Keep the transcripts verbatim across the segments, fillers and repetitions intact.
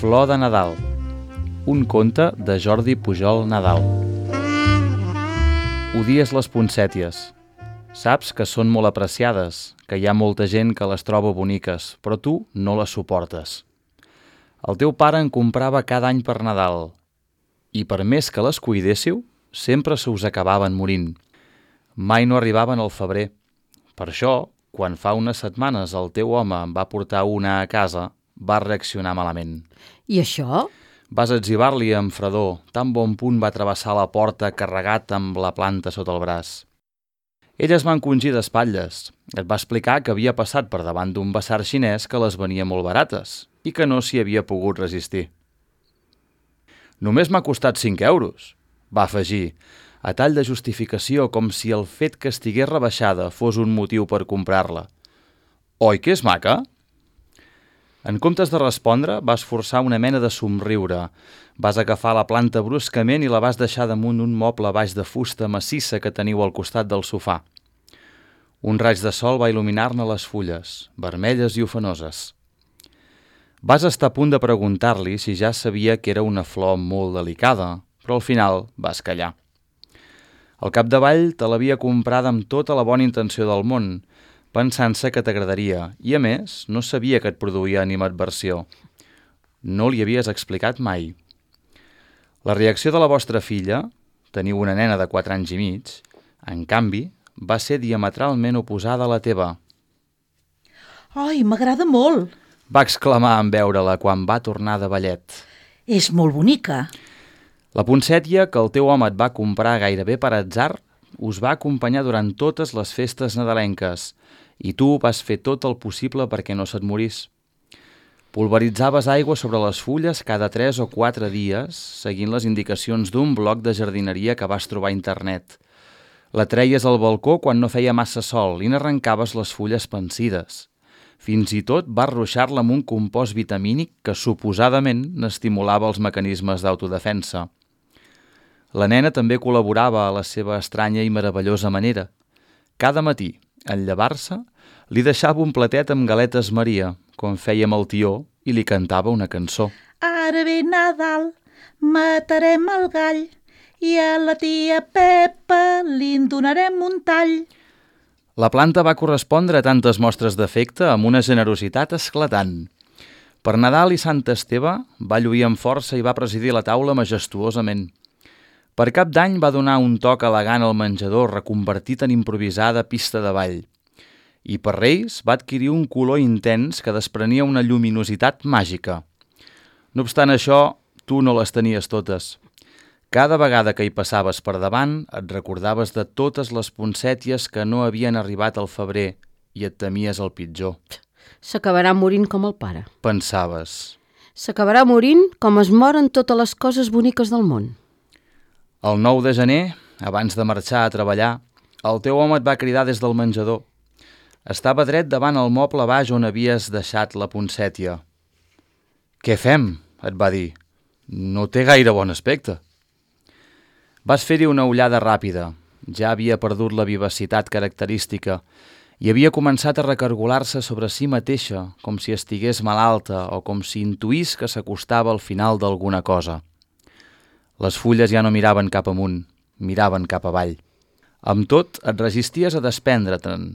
Flor de Nadal, un conte de Jordi Pujol Nadal. Odies les poncèties. Saps que són molt apreciades, que hi ha molta gent que les troba boniques, però tu no les suportes. El teu pare en comprava cada any per Nadal, i per més que les cuidéssiu, sempre se us acabaven morint. Mai no arribaven al febrer. Per això, quan fa unes setmanes el teu home em va portar una a casa, va reaccionar malament. I això? Vas etzibar-li amb fredor, tan bon punt va travessar la porta carregat amb la planta sota el braç. Ell es va encongir d'espatlles. Et va explicar que havia passat per davant d'un basar xinès que les venia molt barates i que no s'hi havia pogut resistir. Només m'ha costat cinc euros, va afegir, a tall de justificació, com si el fet que estigués rebaixada fos un motiu per comprar-la. Oi que és maca? En comptes de respondre, vas forçar una mena de somriure. Vas agafar la planta bruscament i la vas deixar damunt un moble baix de fusta massissa que teniu al costat del sofà. Un raig de sol va il·luminar-ne les fulles, vermelles i ofenoses. Vas estar a punt de preguntar-li si ja sabia que era una flor molt delicada, però al final vas callar. Al capdavall te l'havia comprada amb tota la bona intenció del món, pensant-se que t'agradaria, i a més no sabia que et produïa animadversió. No li havies explicat mai. La reacció de la vostra filla, teniu una nena de quatre anys i mig, en canvi, va ser diametralment oposada a la teva. Ai, m'agrada molt! Va exclamar en veure-la quan va tornar de ballet. És molt bonica. La poncètia que el teu home et va comprar gairebé per atzar us va acompanyar durant totes les festes nadalenques i tu vas fer tot el possible perquè no se't morís. Pulveritzaves aigua sobre les fulles cada tres o quatre dies, seguint les indicacions d'un bloc de jardineria que vas trobar a internet. La treies al balcó quan no feia massa sol i n'arrencaves les fulles pensides. Fins i tot vas ruixar-la amb un compost vitamínic que suposadament n'estimulava els mecanismes d'autodefensa. La nena també col·laborava a la seva estranya i meravellosa manera. Cada matí, en llevar-se, li deixava un platet amb galetes Maria, com feia amb el tió, i li cantava una cançó. Ara ve Nadal, matarem el gall i a la tia Pepa li en donarem un tall. La planta va correspondre a tantes mostres d'afecte amb una generositat esclatant. Per Nadal i Sant Esteve va lluir amb força i va presidir la taula majestuosament. Per Cap d'Any va donar un toc elegant al menjador reconvertit en improvisada pista de ball. I per Reis va adquirir un color intens que desprenia una lluminositat màgica. No obstant això, tu no les tenies totes. Cada vegada que hi passaves per davant et recordaves de totes les poncèties que no havien arribat al febrer i et temies el pitjor. S'acabarà morint com el pare. Pensaves. S'acabarà morint com es moren totes les coses boniques del món. El nou de gener, abans de marxar a treballar, el teu home et va cridar des del menjador. Estava dret davant el moble baix on havies deixat la poncètia. «Què fem?», et va dir. «No té gaire bon aspecte». Vas fer-hi una ullada ràpida. Ja havia perdut la vivacitat característica i havia començat a recargolar-se sobre si mateixa, com si estigués malalta o com si intuís que s'acostava al final d'alguna cosa. Les fulles ja no miraven cap amunt, miraven cap avall. Amb tot, et resisties a desprendre-te'n.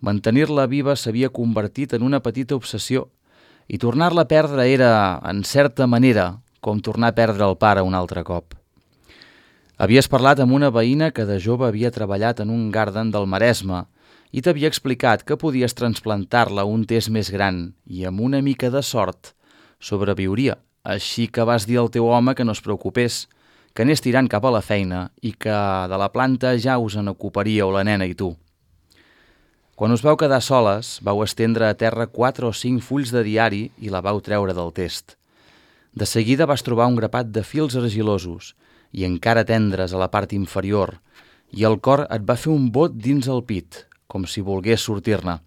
Mantenir-la viva s'havia convertit en una petita obsessió i tornar-la a perdre era, en certa manera, com tornar a perdre el pare un altre cop. Havies parlat amb una veïna que de jove havia treballat en un garden del Maresme i t'havia explicat que podies transplantar-la un test més gran i amb una mica de sort sobreviuria. Així que vas dir al teu home que no es preocupés, que anés tirant cap a la feina i que de la planta ja us en ocuparíeu la nena i tu. Quan us vau quedar soles, vau estendre a terra quatre o cinc fulls de diari i la vau treure del test. De seguida vas trobar un grapat de fils argilosos i encara tendres a la part inferior, i el cor et va fer un bot dins el pit, com si volgués sortir-ne.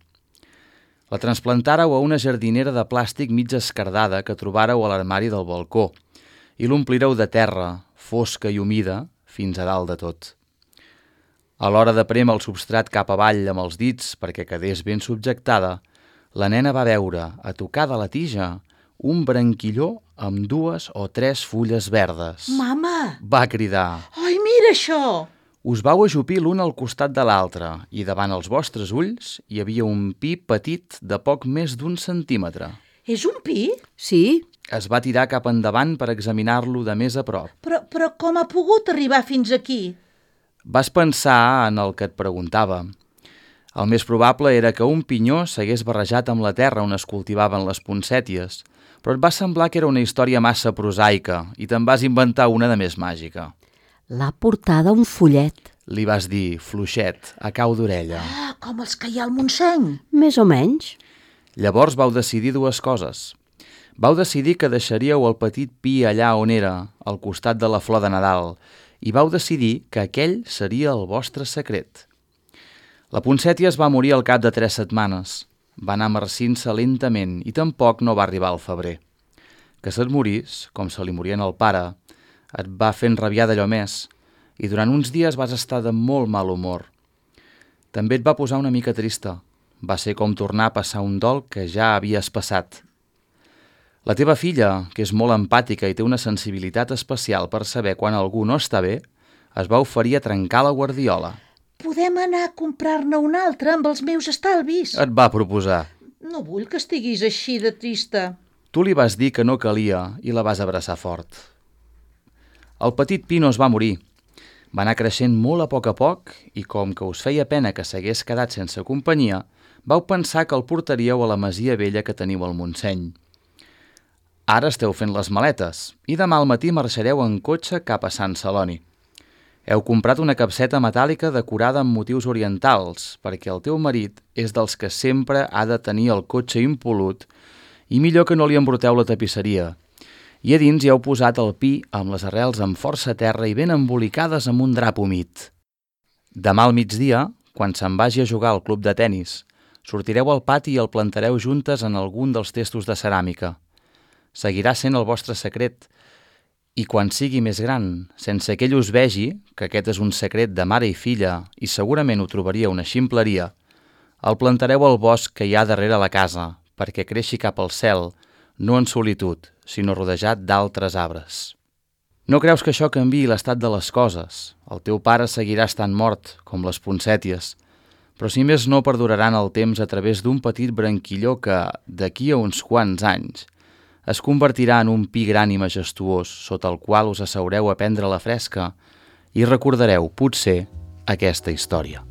La transplantàreu a una jardinera de plàstic mig escardada que trobàreu a l'armari del balcó i l'omplireu de terra, fosca i humida, fins a dalt de tot. A l'hora de prémer el substrat cap avall amb els dits perquè quedés ben subjectada, la nena va veure, a tocar de la tija, un branquilló amb dues o tres fulles verdes. Mama! Va cridar. Ai, mira això! Us vau ajupir l'un al costat de l'altre i davant els vostres ulls hi havia un pi petit de poc més d'un centímetre. És un pi? Sí, Es va tirar cap endavant per examinar-lo de més a prop. Però, però com ha pogut arribar fins aquí? Vas pensar en el que et preguntava. El més probable era que un pinyó s'hagués barrejat amb la terra on es cultivaven les poncèties, però et va semblar que era una història massa prosaica i te'n vas inventar una de més màgica. l'ha portada un follet. Li vas dir, fluixet, a cau d'orella. Ah, com els que hi ha al Montseny. Més o menys. Llavors vau decidir dues coses. Vau decidir que deixaríeu el petit pi allà on era, al costat de la flor de Nadal, i vau decidir que aquell seria el vostre secret. La poncètia es va morir al cap de tres setmanes. Va anar marcint-se lentament i tampoc no va arribar al febrer. Que se't morís, com se li morien al pare, et va fent rabiar d'allò més, i durant uns dies vas estar de molt mal humor. També et va posar una mica trista. Va ser com tornar a passar un dol que ja havies passat. La teva filla, que és molt empàtica i té una sensibilitat especial per saber quan algú no està bé, es va oferir a trencar la guardiola. Podem anar a comprar-ne un altre amb els meus estalvis. Et va proposar. No vull que estiguis així de trista. Tu li vas dir que no calia i la vas abraçar fort. El petit pi no es va morir. Va anar creixent molt a poc a poc i com que us feia pena que s'hagués quedat sense companyia, vau pensar que el portaríeu a la masia vella que teniu al Montseny. Ara esteu fent les maletes i demà al matí marxareu en cotxe cap a Sant Celoni. Heu comprat una capseta metàl·lica decorada amb motius orientals perquè el teu marit és dels que sempre ha de tenir el cotxe impolut i millor que no li embruteu la tapisseria. I a dins hi heu posat el pi amb les arrels amb força terra i ben embolicades amb un drap humit. Demà al migdia, quan se'n vagi a jugar al club de tennis, sortireu al pati i el plantareu juntes en algun dels testos de ceràmica. Seguirà sent el vostre secret i quan sigui més gran, sense que ell us vegi, que aquest és un secret de mare i filla i segurament ho trobaria una ximpleria, el plantareu al bosc que hi ha darrere la casa perquè creixi cap al cel, no en solitud, sinó rodejat d'altres arbres. No creus que això canviï l'estat de les coses? El teu pare seguirà estant mort, com les poncèties, però si més no perduraran el temps a través d'un petit branquilló que, d'aquí a uns quants anys, es convertirà en un pi gran i majestuós sota el qual us asseureu a prendre la fresca i recordareu, potser, aquesta història.